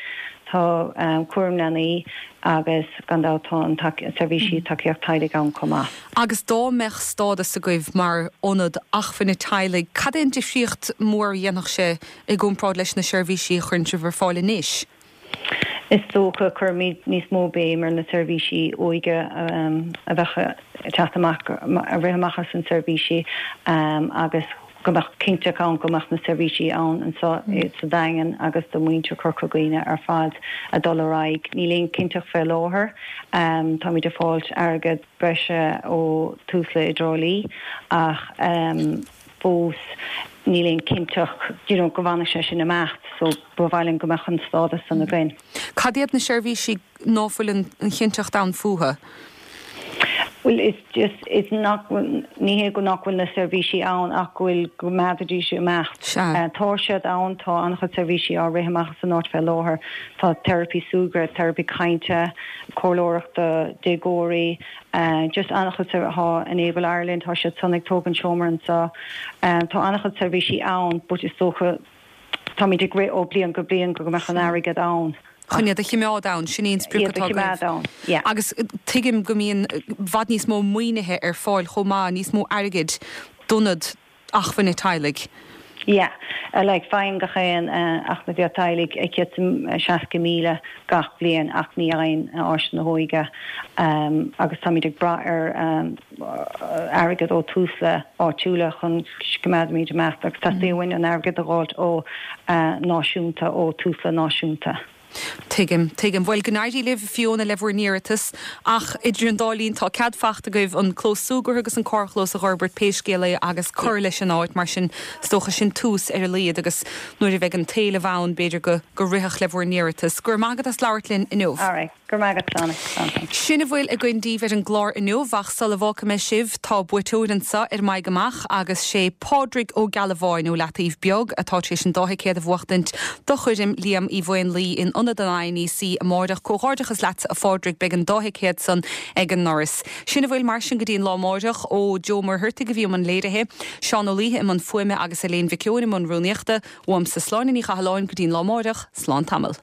Speaker 6: tá um, cúram leanaí agus gan dabht tá an seirbhísí tacaíocht teaghlaigh ann chomh maith.
Speaker 2: Agus dá mbeadh stádas agaibh mar ionad acmhainne teaghlaigh, cad é an difríocht mór a dhéanfadh sé i gcomparáid leis na seirbhísí a chuireann sibh ar fáil anois?
Speaker 6: Is dócha cuirfimid níos mó béim ar na seirbhísí óige um, a bheith teacht amach a rith amach as an seirbhísí um, agus go mbeadh cinnteacht ann go mbeadh na seirbhísí ann anseo sa Daingean agus do mhuintir Chorca Dhuibhne ar fad a dul ar aghaidh. Níl aon cinnteacht fé láthair. Táimid ag fáilt airgead breise ó Tusla i dTrá Lí ach fós níl aon cinnteacht you know go bhfanfaidh sé sin imeacht so ba mhaith linn go mbeadh an stádas san againn.
Speaker 2: Cad iad na seirbhísí ná fuil an chinnteacht ann fúthu?
Speaker 6: Bhuel it's just it's nach ní hé go nach bhfuil na seirbhísí ann ach go bhfuil go mbeidís imeacht. Tá siad ann tá an-chuid seirbhísí á rith amach san áit fé láthair. Tá teiripí súgartha, teiripí cainte, comhairleoireacht do déagóirí, just an-chuid tá Enable Ireland, tá siad san ag tógaint seomra anseo. Tá an-chuid seirbhísí ann but is dócha táimid ag rith ó bliain go bliain go mbeadh an airgead ann.
Speaker 2: Chun iad a chimeád ann, sin í an sprioc atá agaibh. Agus tuigim go mbíonn i bhfad níos mó maoinithe ar fáil chomh maith, níos mó airgid d'ionad acmhainne teaghlaigh.
Speaker 6: Yeah, like faigheann gach aon eacnamaíocht teaghlaigh céad seasca míle gach bliain ach ní fhaigheann Áis na hÓige agus táimid ag brath ar airgead ó Tusla áitiúla chun coimeádfaimid imeacht agus teastaíonn uainn an airgead a dh'fháilt ó náisiúnta ó Tusla náisiúnta.
Speaker 2: Tuigim, tuigim. Bhuel, go n-éirí libh, Fiona, le bhur n-iarratas, ach idir an dá linn tá cead faighte agaibh an clós súgartha agus an carrchlós a dh'fhorbairt pé scéal é agus cur leis an áit, mar sin is dócha sin tús ar a laghad agus nuair a bheidh an t-éileamh ann b'fhéidir go go rithfeadh le bhur n-iarratas. Go raibh maith agat as labhairt linn inniu.
Speaker 6: Alright. Go raibh maith agat, Sláine. Slán.
Speaker 2: Sin a bhfuil againn daoibh ar an gclár inniu, ach sula bhfágfaidh mé sibh, tá buaiteoir anseo ar M'Aghaidh Amach agus sé Pádraig Ó Gealbháin ó Leataobh Beag atá tar éis an dá thicéad a bhuachtaint do choirm Liam Uí Mhaonlaí in Ionad an INEC amáireach. Comhghairdeachas leatsa a Phádraig, beidh an dá thicéad san ag an ndoras. Sin a bhfuil mar sin go dtí an lá amáireach ó Joe Muircheartaigh a bhí i mbun léirithe, Seán Ó Laoithe i mbun fuaime agus Elaine Mhic Eoin i mbun rúnaíochta. Uaimse Sláine Ní Chathalláin go dtí an lá amáireach, slán tamall.